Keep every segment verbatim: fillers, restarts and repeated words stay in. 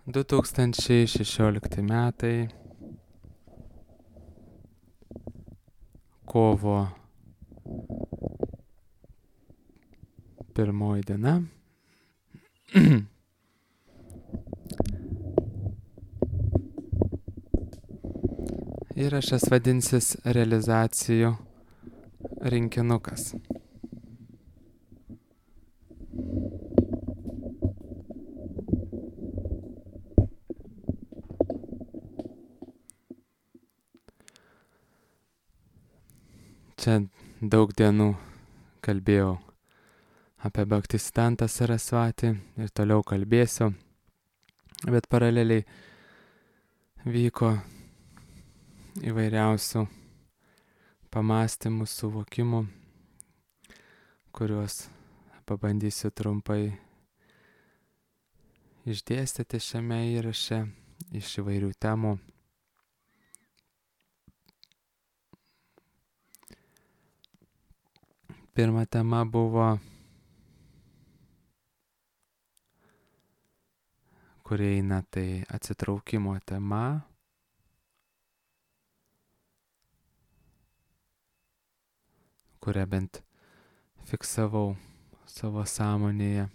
du tūkstančiai šešiolikti metai, kovo pirmoji diena. Įrašas vadinsis realizacijų rinkinukas. Čia daug dienų kalbėjau apie Bhaktisiddhantą Sarasvatį ir toliau kalbėsiu, bet paraleliai vyko įvairiausių pamastymų, suvokimų, kuriuos pabandysiu trumpai išdėstyti šiame įraše iš įvairių temų. Pirma tema buvo, kuri eina, tai atsitraukimo tema. Kurią bent fiksavau savo sąmonėje.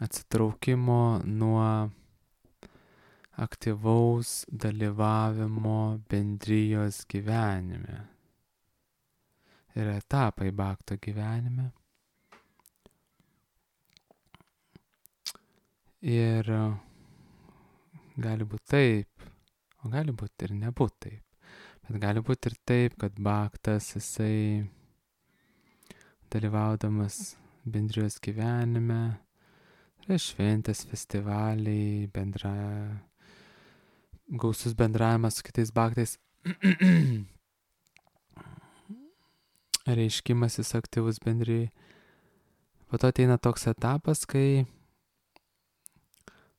Atsitraukimo nuo aktyvaus dalyvavimo bendrijos gyvenime. Yra etapai bhakto gyvenime. Ir gali būti taip, o gali būti ir nebūt taip. Bet gali būti ir taip, kad bhaktas, jisai dalyvaudamas bendrijos gyvenime, tai šventės, festivaliai, bendra, gausus bendravimas su kitais bhaktais, reiškimasis aktyvus bendrijai. Po to ateina toks etapas, kai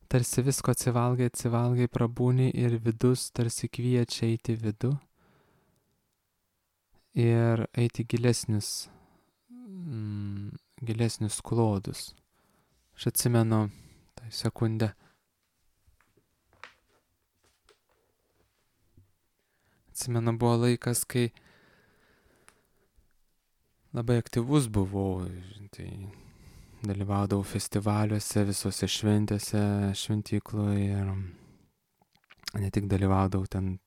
tarsi visko atsivalgai, atsivalgai, prabūni ir vidus tarsi kviečia eiti vidų ir eiti gilesnius, mm, gilesnius klodus. Aš atsimenu tą sekundę. Atsimenu, buvo laikas, kai labai aktyvus buvau, tai dalyvaudavau festivaliuose, visose šventėse, šventykloje ir ne tik dalyvaudavau ten,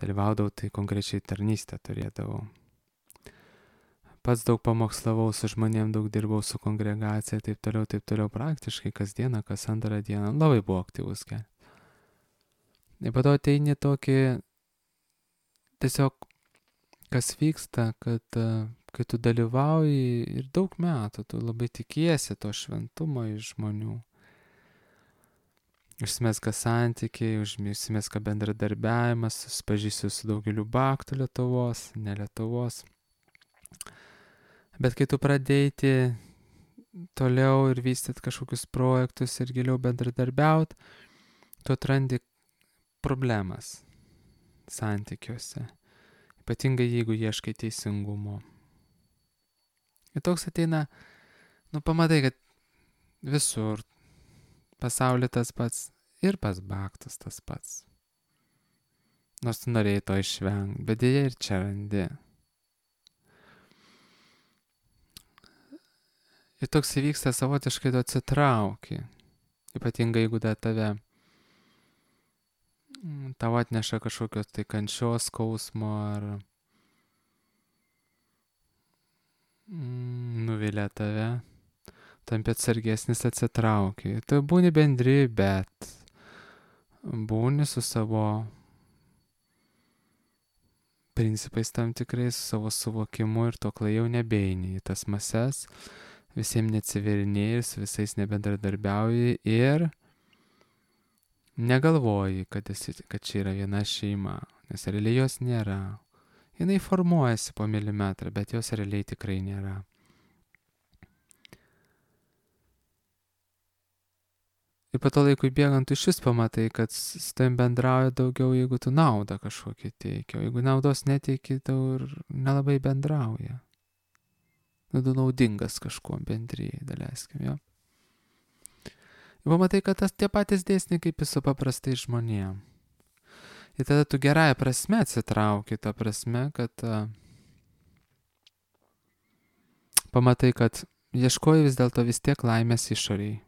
dalyvaudavau, tai konkrečiai tarnystę turėdavau. Pats daug pamokslavau su žmonėm, daug dirbau su kongregacija, taip toliau, taip toliau, praktiškai kasdieną, kas antrą dieną, labai buvo aktyvus kelias. Ir po to ateini tokį, tiesiog kas vyksta, kad kai tu dalyvauji ir daug metų, tu labai tikiesi to šventumo iš žmonių. Užsimezga santykiai, užsimezga bendradarbiavimas, susipažįsti su daugeliu bhaktų Lietuvos, ne Lietuvos. Bet kai tu pradėti toliau ir vystyti kažkokius projektus ir giliau bendradarbiauti, tu atrandi problemas santykiuose. Ypatingai jeigu ieškai teisingumo. Ir toks ateina, nu pamatai, kad visur pasaulyje tas pats ir pas bhaktus tas pats. Nors tu norėjai to išvengti, bet dėja ir čia randi. Ir toks įvyksta savotiškai, tu atsitrauki. Ypatingai jeigu da tave tau atneša kažkokios tai kančios, skausmo ar mm, nuvilia tave, tampi atsargesnis, atsitrauki. Tu būni bendri, bet būni su savo principais tam tikrais, su savo suvokimu ir to klai jau nebeini į tas mases, visiems neatsiverinėjai, su visais nebendradarbiauji ir negalvoji, kad, esi, kad čia yra viena šeima, nes realiai jos nėra. Jinai formuojasi po milimetrą, bet jos realiai tikrai nėra. Ir po to laikui bėgant, tu šis pamatai, kad su tavim bendrauja daugiau, jeigu tu naudą kažkokį teikia. Jeigu naudos neteiki, tau ir nelabai bendrauja. Nu, tu naudingas kažkuo bendrijai, daleiskim, jo. Ir pamatai, kad tas tie patys dėsniai kaip ir su paprastai žmonėm. Ir tada tu gerąją prasme atsitrauki, ta prasme, kad uh, pamatai, kad ieškoji vis dėlto vis tiek laimės išoriai.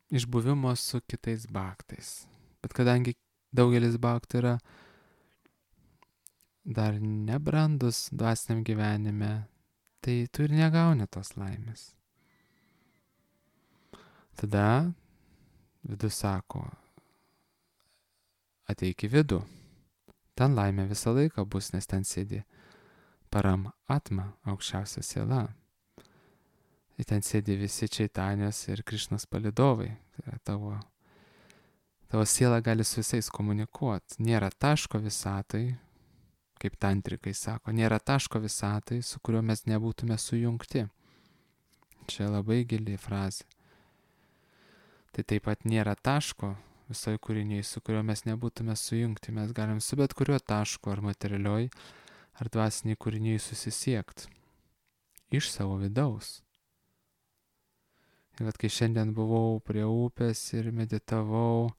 Iš buvimo su kitais bhaktais. Bet kadangi daugelis bhaktų yra dar nebrandus dvasiniam gyvenime, tai tu ir negauni tos laimės. Tada vidus sako, ateik į vidų. Ten laimė visą laiką bus, nes ten sėdi param atma, aukščiausia siela. Ir ten sėdi visi Čaitanijos ir Krišnos palydovai. Tai yra tavo, tavo siela gali su visais komunikuoti. Nėra taško visatai, kaip tantrikai sako, nėra taško visatai, su kuriuo mes nebūtume sujungti. Čia labai gili frazė. Tai taip pat nėra taško visoje kūriniai, su kuriuo mes nebūtume sujungti. Mes galim su bet kuriuo tašku ar materialioj, ar dvasiniai kūriniai susisiekti. Iš savo vidaus. Ir kad kai šiandien buvau prie upės ir meditavau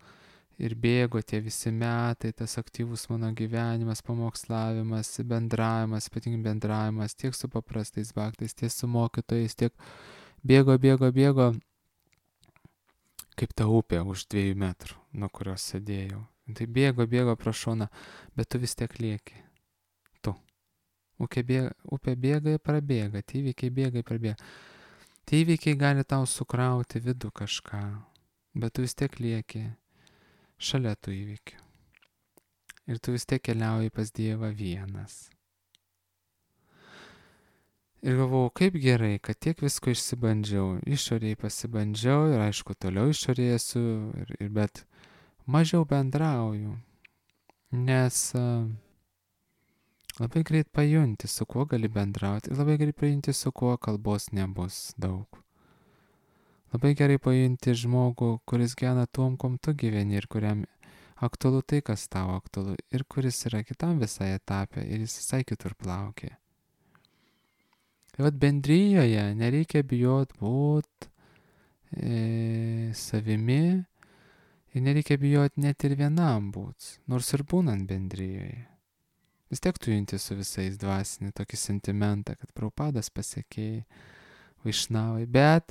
ir bėgo tie visi metai, tas aktyvus mano gyvenimas, pamokslavimas, bendravimas, ypatingai bendravimas tiek su paprastais bhaktais, tiek su mokytojais, tiek bėgo, bėgo, bėgo, kaip ta upė už dviejų metrų, nuo kurios sėdėjau. Tai bėgo, bėgo pro šoną, bet tu vis tiek lieki. Tu. Upė bėga, upė bėga ir prabėga, tie įvykiai bėga ir prabėga. Tie įvykiai gali tau sukrauti vidų kažką, bet tu vis tiek lieki šalia tų įvykių. Ir tu vis tiek keliauji pas Dievą vienas. Ir galvojau, kaip gerai, kad tiek visko išsibandžiau, išoriai pasibandžiau ir aišku, toliau išoriai esu, ir, ir, bet mažiau bendrauju, nes uh, labai greit pajunti, su kuo gali bendrauti, ir labai greit pajunti, su kuo kalbos nebus daug. Labai gerai pajunti žmogų, kuris gyvena tuom, kom tu gyveni ir kuriam aktualu tai, kas tau aktualu, ir kuris yra kitam visai etape ir jis visai kitur plaukia. Ir vat bendrijoje nereikia bijot būt e, savimi ir nereikia bijot net ir vienam būt, nors ir būnant bendrijoje. Vis tiek tu junti su visais dvasinį tokį sentimentą, kad Prabhupadas pasiekėjai, Vaišnavai, bet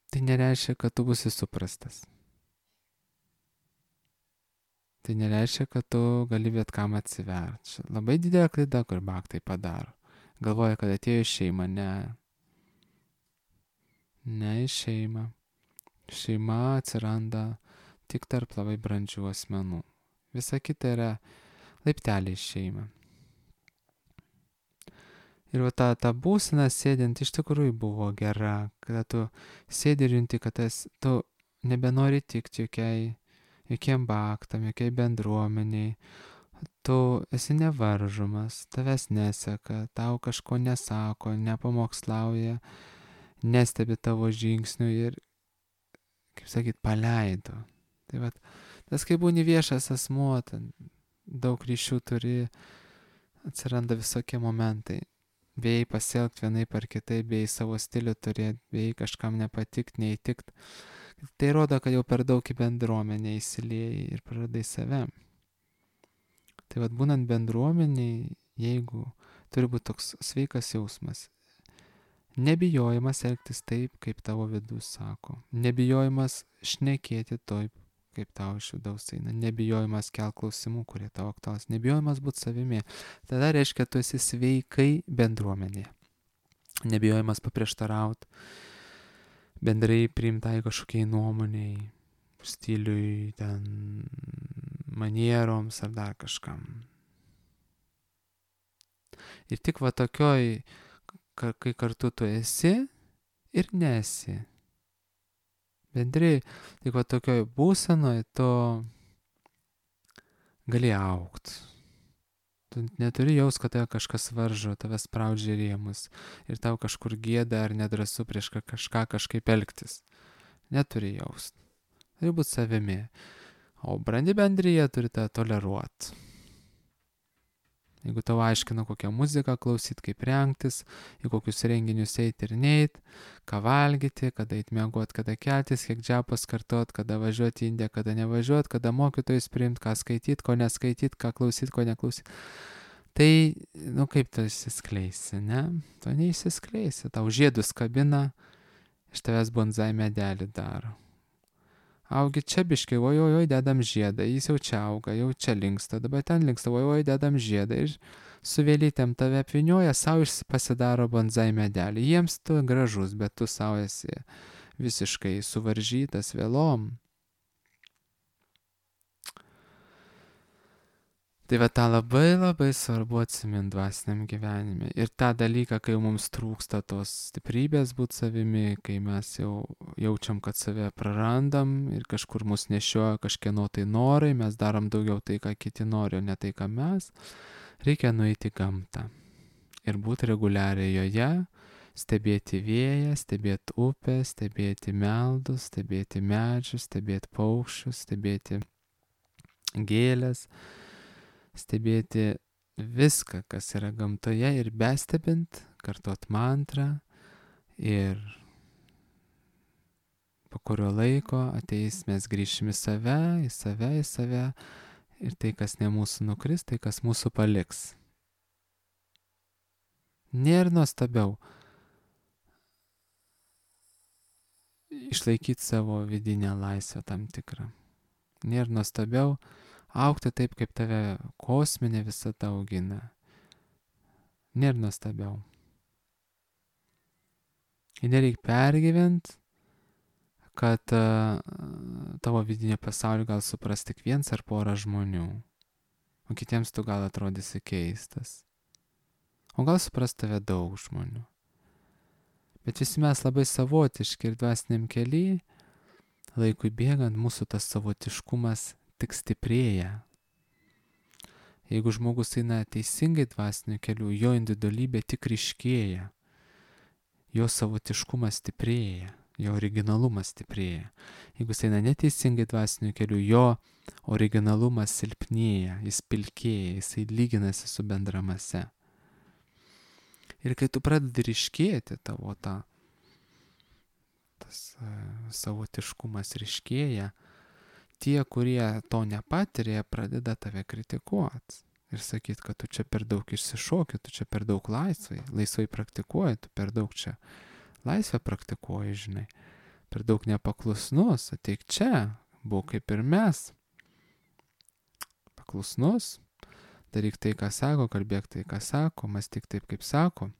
tai nereiškia, kad tu būsi suprastas. Tai nereiškia, kad tu gali bet kam atsiverti. Labai didelė klaida, kur bhaktai padaro. Galvoja, kad atėjo šeima. Ne. Ne į šeimą. Šeima atsiranda tik tarp labai brandžių asmenų. Visa kita yra laipteliai šeima. Ir va ta, ta būsena sėdint iš tikrųjų buvo gera, kada tu sėdi ir junti, kad tas, tu nebenori tikti jokiai, jokiem bhaktam, jokiai bendruomeniai. Tu esi nevaržomas, tavęs neseka, tau kažko nesako, nepamokslauja, nestebi tavo žingsnių ir, kaip sakyt, paleido. Tai vat, tas kai būni viešas asmuo, daug ryšių turi, atsiranda visokie momentai. Bijai pasielgti vienaip ar kitaip, bijai savo stilių turėti, bijai kažkam nepatikti, neįtikti. Tai rodo, kad jau per daug į bendruomenę įsiliejai ir praradai save. Tai vad būnant bendruomeniai, jeigu turi būti toks sveikas jausmas, nebijojimas elgtis taip, kaip tavo vidus sako, nebijojimas šnekėti taip, kaip tau iš vidaus eina, nebijojimas kelt klausimų, kurie tau aktualūs, nebijojimas būti savimi, tada reiškia, tu esi sveikai bendruomenėje. Nebijojimas paprieštarauti, bendrai priimtai kažkokiai nuomoniai, stiliui, ten manieroms ar dar kažkam. Ir tik va tokioj, kai kartu tu esi ir nesi. Bendrai, tik va tokioj būsenoj tu gali augt. Tu neturi jaus, kad tave kažkas varžo, tave spraudžia rėmus ir tau kažkur gėda ar nedrąsu prieš kažką kažkaip elgtis. Neturi jaust. Turi būti savimi. O brandi bendrija turi tą toleruoti. Jeigu tau aiškina, kokią muziką klausyt, kaip rengtis, į kokius renginius eiti ir neit, ką valgyti, kada eit miegot, kada keltis, kiek džiapas kartot, kada važiuoti į Indiją, kada nevažiuoti, kada mokytojus priimti, ką skaityt, ko neskaityt, ką klausyt, ko neklausyt. Tai, nu kaip tu išsiskleisi, ne? Tu neišsiskleisi, tau žiedus kabina, iš tavęs bonsai medelį daro. Augi čia biškai, oi, oi, oi, dedam žiedą, jis jau čia auga, jau čia linksta, dabar ten linksta, oi, oi, dedam žiedą ir su vėlytėm tave apvinioja, savo pasidaro bonsai medelį. Jiems tu gražus, bet tu savo esi visiškai suvaržytas vėlom. Tai va tą labai labai svarbu atsiminti dvasiniam gyvenime. Ir tą dalyką, kai mums trūksta tos stiprybės būti savimi, kai mes jau jaučiam, kad save prarandam ir kažkur mus nešioja kažkieno tai norai, mes darom daugiau tai, ką kiti nori, o ne tai, ką mes, reikia nueiti į gamtą. Ir būti reguliariai joje, stebėti vėją, stebėti upę, stebėti meldus, stebėti medžius, stebėti paukščius, stebėti gėlės, stebėti viską, kas yra gamtoje ir bestebint, kartot mantrą ir po kurio laiko ateis mes grįšim į save, į save, į save ir tai, kas ne mūsų nukris, tai, kas mūsų paliks. Nėra nuostabiau išlaikyti savo vidinę laisvę tam tikrą. Nėra nuostabiau augti taip, kaip tave kosminė visata augina. Nėra nuostabiau. Ir nereikia pergyventi, kad uh, tavo vidinio pasaulio gal supras tik viens ar pora žmonių, o kitiems tu gal atrodysi keistas. O gal supras tave daug žmonių. Bet visi mes labai savotiški ir dvasiniam kely, laikui bėgant, mūsų tas savotiškumas tik stiprėja. Jeigu žmogus eina teisingai dvasiniu keliu, jo individualybė tik ryškėja, jo savotiškumas stiprėja, jo originalumas stiprėja. Jeigu jis eina neteisingai dvasiniu keliu, jo originalumas silpnėja, jis pilkėja, jisai lyginasi su bendramase. Ir kai tu pradedi ryškėti, tavo ta, tas uh, savotiškumas ryškėja, tie, kurie to nepatiria, pradeda tave kritikuoti ir sakyti, kad tu čia per daug išsišoki, tu čia per daug laisvai, laisvai praktikuoji, tu per daug čia laisvę praktikuoji, žinai, per daug nepaklusnus, ateik čia, būk kaip ir mes, paklusnus, daryk tai, ką sako, kalbėk tai, ką sako, mąstyk taip, kaip sako.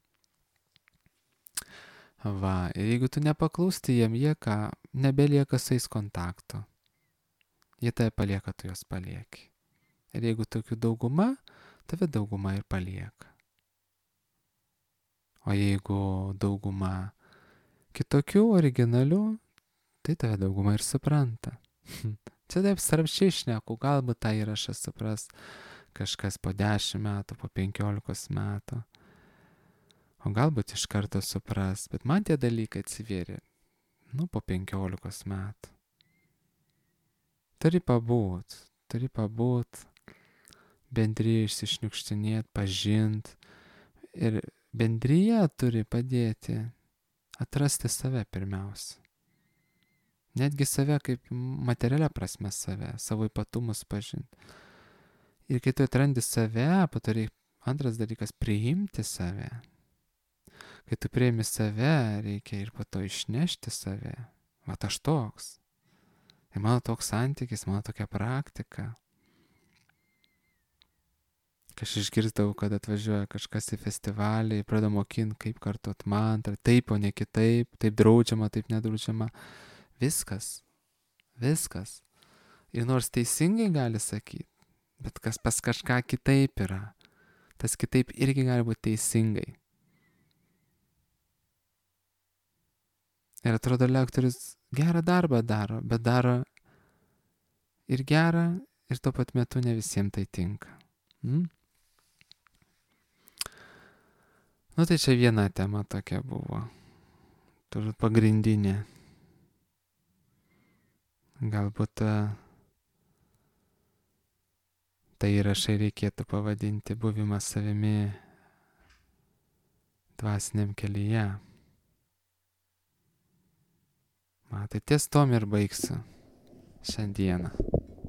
Va, ir jeigu tu nepaklūsti jiem, jie ką, nebelieka su jais kontakto. Jie tave palieka, tu juos palieki. Ir jeigu tokių dauguma, tave dauguma ir palieka. O jeigu dauguma kitokių, originalių, tai tave dauguma ir supranta. Čia taip sarpščiai šneku, galbūt tą įrašą supras kažkas po dešimt metų, po penkiolikos metų. O galbūt iš karto supras, bet man tie dalykai atsivėrė, nu, po penkiolikos metų. Turi pabūt, turi pabūt, bendryje išsišniukštinėt, pažint. Ir bendryje turi padėti atrasti save pirmiausia. Netgi save kaip materialia prasme save, savo ypatumus pažinti. Ir kai tu atrandi save, patari antras dalykas priimti save. Kai tu priimi save, reikia ir po to išnešti save. Vat aš toks. Tai mano toks santykis, mano tokia praktika. Kai aš išgirdau, kad atvažiuoja kažkas į festivalį, pradeda mokinti, kaip kartot mantrą, taip, o ne kitaip, taip draudžiama, taip nedraudžiama. Viskas. Viskas. Ir nors teisingai gali sakyti, bet kas pas kažką kitaip yra. Tas kitaip irgi gali būti teisingai. Ir atrodo, lektorius gerą darbą daro, bet daro ir gerą, ir tuo pat metu ne visiems tai tinka. Hmm? Nu tai čia viena tema tokia buvo. Turbūt pagrindinė. Galbūt tai įrašai reikėtų pavadinti buvimas savimi dvasiniam kelyje. Man tai ties tom ir baigsiu šiandieną.